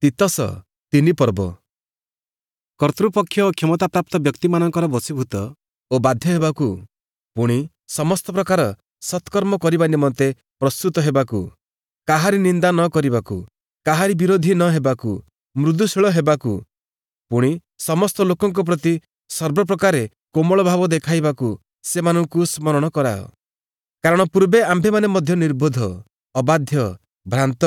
ତୀତସ 3 ପର୍ବ। କର୍ତ୍ତୃପକ୍ଷ ଓ କ୍ଷମତାପ୍ରାପ୍ତ ବ୍ୟକ୍ତିମାନଙ୍କର ବଶୀଭୂତ ଓ ବାଧ୍ୟ ହେବାକୁ, ପୁଣି ସମସ୍ତ ପ୍ରକାର ସତ୍କର୍ମ କରିବା ନିମନ୍ତେ ପ୍ରସ୍ତୁତ ହେବାକୁ, କାହାରି ନିନ୍ଦା ନ କରିବାକୁ, କାହାରି ବିରୋଧୀ ନ ହେବାକୁ, ମୃଦୁଶୀଳ ହେବାକୁ, ପୁଣି ସମସ୍ତ ଲୋକଙ୍କ ପ୍ରତି ସର୍ବପ୍ରକାରେ କୋମଳ ଭାବ ଦେଖାଇବାକୁ ସେମାନଙ୍କୁ ସ୍ମରଣ କରାଅ। କାରଣ ପୂର୍ବେ ଆମ୍ଭେମାନେ ମଧ୍ୟ ନିର୍ବୋଧ, ଅବାଧ୍ୟ, ଭ୍ରାନ୍ତ,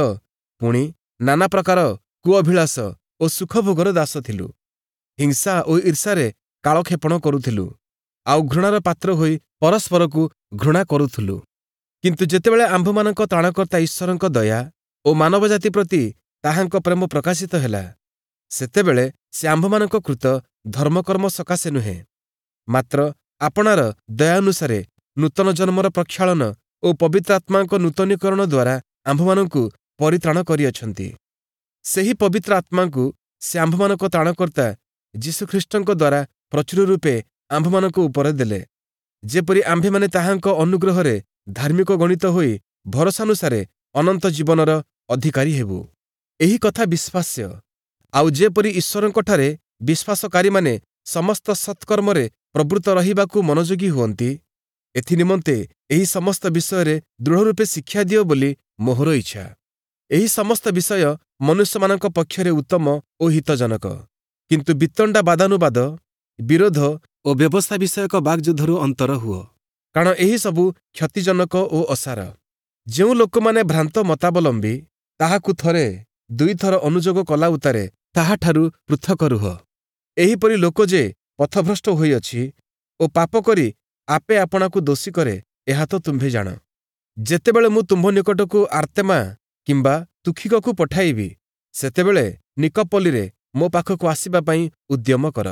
ପୁଣି ନାନା ପ୍ରକାର କୁଅଭିଳାଷ ଓ ସୁଖଭୋଗର ଦାସ ଥିଲୁ। ହିଂସା ଓ ଈର୍ଷାରେ କାଳକ୍ଷେପଣ କରୁଥିଲୁ, ଆଉ ଘୃଣାର ପାତ୍ର ହୋଇ ପରସ୍ପରକୁ ଘୃଣା କରୁଥିଲୁ। କିନ୍ତୁ ଯେତେବେଳେ ଆମ୍ଭମାନଙ୍କ ତ୍ରାଣକର୍ତ୍ତା ଈଶ୍ୱରଙ୍କ ଦୟା ଓ ମାନବ ଜାତି ପ୍ରତି ତାହାଙ୍କ ପ୍ରେମ ପ୍ରକାଶିତ ହେଲା, ସେତେବେଳେ ସେ ଆମ୍ଭମାନଙ୍କ କୃତ ଧର୍ମକର୍ମ ସକାଶେ ନୁହେଁ, ମାତ୍ର ଆପଣାର ଦୟାନୁସାରେ ନୂତନ ଜନ୍ମର ପ୍ରକ୍ଷାଳନ ଓ ପବିତ୍ର ଆତ୍ମାଙ୍କ ନୂତନୀକରଣ ଦ୍ୱାରା ଆମ୍ଭମାନଙ୍କୁ ପରିତ୍ରାଣ କରିଅଛନ୍ତି। ସେହି ପବିତ୍ର ଆତ୍ମାଙ୍କୁ ସେ ଆମ୍ଭମାନଙ୍କ ତ୍ରାଣକର୍ତ୍ତା ଯୀଶୁଖ୍ରୀଷ୍ଟଙ୍କ ଦ୍ୱାରା ପ୍ରଚୁର ରୂପେ ଆମ୍ଭମାନଙ୍କ ଉପରେ ଦେଲେ, ଯେପରି ଆମ୍ଭେମାନେ ତାହାଙ୍କ ଅନୁଗ୍ରହରେ ଧାର୍ମିକ ଗଣିତ ହୋଇ ଭରସାନୁସାରେ ଅନନ୍ତ ଜୀବନର ଅଧିକାରୀ ହେବୁ। ଏହି କଥା ବିଶ୍ୱାସ୍ୟ। ଆଉ ଯେପରି ଈଶ୍ୱରଙ୍କଠାରେ ବିଶ୍ୱାସକାରୀମାନେ ସମସ୍ତ ସତ୍କର୍ମରେ ପ୍ରବୃତ୍ତ ରହିବାକୁ ମନୋଯୋଗୀ ହୁଅନ୍ତି, ଏଥିନିମନ୍ତେ ଏହି ସମସ୍ତ ବିଷୟରେ ଦୃଢ଼ରୂପେ ଶିକ୍ଷା ଦିଅ ବୋଲି ମୋହର ଇଚ୍ଛା। ଏହି ସମସ୍ତ ବିଷୟ ମନୁଷ୍ୟମାନଙ୍କ ପକ୍ଷରେ ଉତ୍ତମ ଓ ହିତଜନକ। କିନ୍ତୁ ବିତଣ୍ଡା ବାଦାନୁବାଦ, ବିରୋଧ ଓ ବ୍ୟବସ୍ଥା ବିଷୟକ ବାକ୍ଯୁଦ୍ଧରୁ ଅନ୍ତର ହୁଅ, କାରଣ ଏହି ସବୁ କ୍ଷତିଜନକ ଓ ଅସାର। ଯେଉଁ ଲୋକମାନେ ଭ୍ରାନ୍ତ ମତାବଲମ୍ବୀ, ତାହାକୁ ଥରେ ଦୁଇଥର ଅନୁଯୋଗ କଲା ଉତ୍ତାରେ ତାହାଠାରୁ ପୃଥକ ରୁହ। ଏହିପରି ଲୋକ ଯେ ପଥଭ୍ରଷ୍ଟ ହୋଇଅଛି ଓ ପାପ କରି ଆପେ ଆପଣାକୁ ଦୋଷୀ କରେ, ଏହା ତ ତୁମ୍ଭେ ଜାଣ। ଯେତେବେଳେ ମୁଁ ତୁମ୍ଭ ନିକଟକୁ ଆର୍ତେମା କିମ୍ବା ତୁଖିକକୁ ପଠାଇବି, ସେତେବେଳେ ନିକପଲିରେ ମୋ ପାଖକୁ ଆସିବା ପାଇଁ ଉଦ୍ୟମ କର,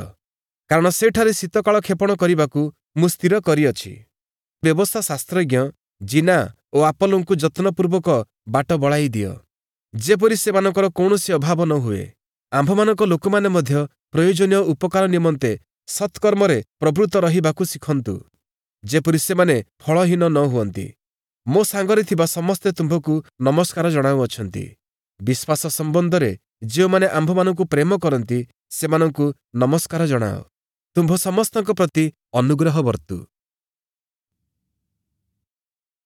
କାରଣ ସେଠାରେ ଶୀତକାଳ କ୍ଷେପଣ କରିବାକୁ ମୁଁ ସ୍ଥିର କରିଅଛି। ବ୍ୟବସ୍ଥା ଶାସ୍ତ୍ରଜ୍ଞ ଜିନା ଓ ଆପଲଙ୍କୁ ଯତ୍ନପୂର୍ବକ ବାଟ ବଳାଇ ଦିଅ, ଯେପରି ସେମାନଙ୍କର କୌଣସି ଅଭାବ ନ ହୁଏ। ଆମ୍ଭମାନଙ୍କ ଲୋକମାନେ ମଧ୍ୟ ପ୍ରୟୋଜନୀୟ ଉପକାର ନିମନ୍ତେ ସତ୍କର୍ମରେ ପ୍ରବୃତ୍ତ ରହିବାକୁ ଶିଖନ୍ତୁ, ଯେପରି ସେମାନେ ଫଳହୀନ ନ ହୁଅନ୍ତି। ମୋ ସାଙ୍ଗରେ ଥିବା ସମସ୍ତେ ତୁମ୍ଭକୁ ନମସ୍କାର ଜଣାଉଅଛନ୍ତି। ବିଶ୍ୱାସ ସମ୍ବନ୍ଧରେ ଯେଉଁମାନେ ଆମ୍ଭମାନଙ୍କୁ ପ୍ରେମ କରନ୍ତି, ସେମାନଙ୍କୁ ନମସ୍କାର ଜଣାଅ। ତୁମ୍ଭ ସମସ୍ତଙ୍କ ପ୍ରତି ଅନୁଗ୍ରହ ବର୍ତ୍ତୁ।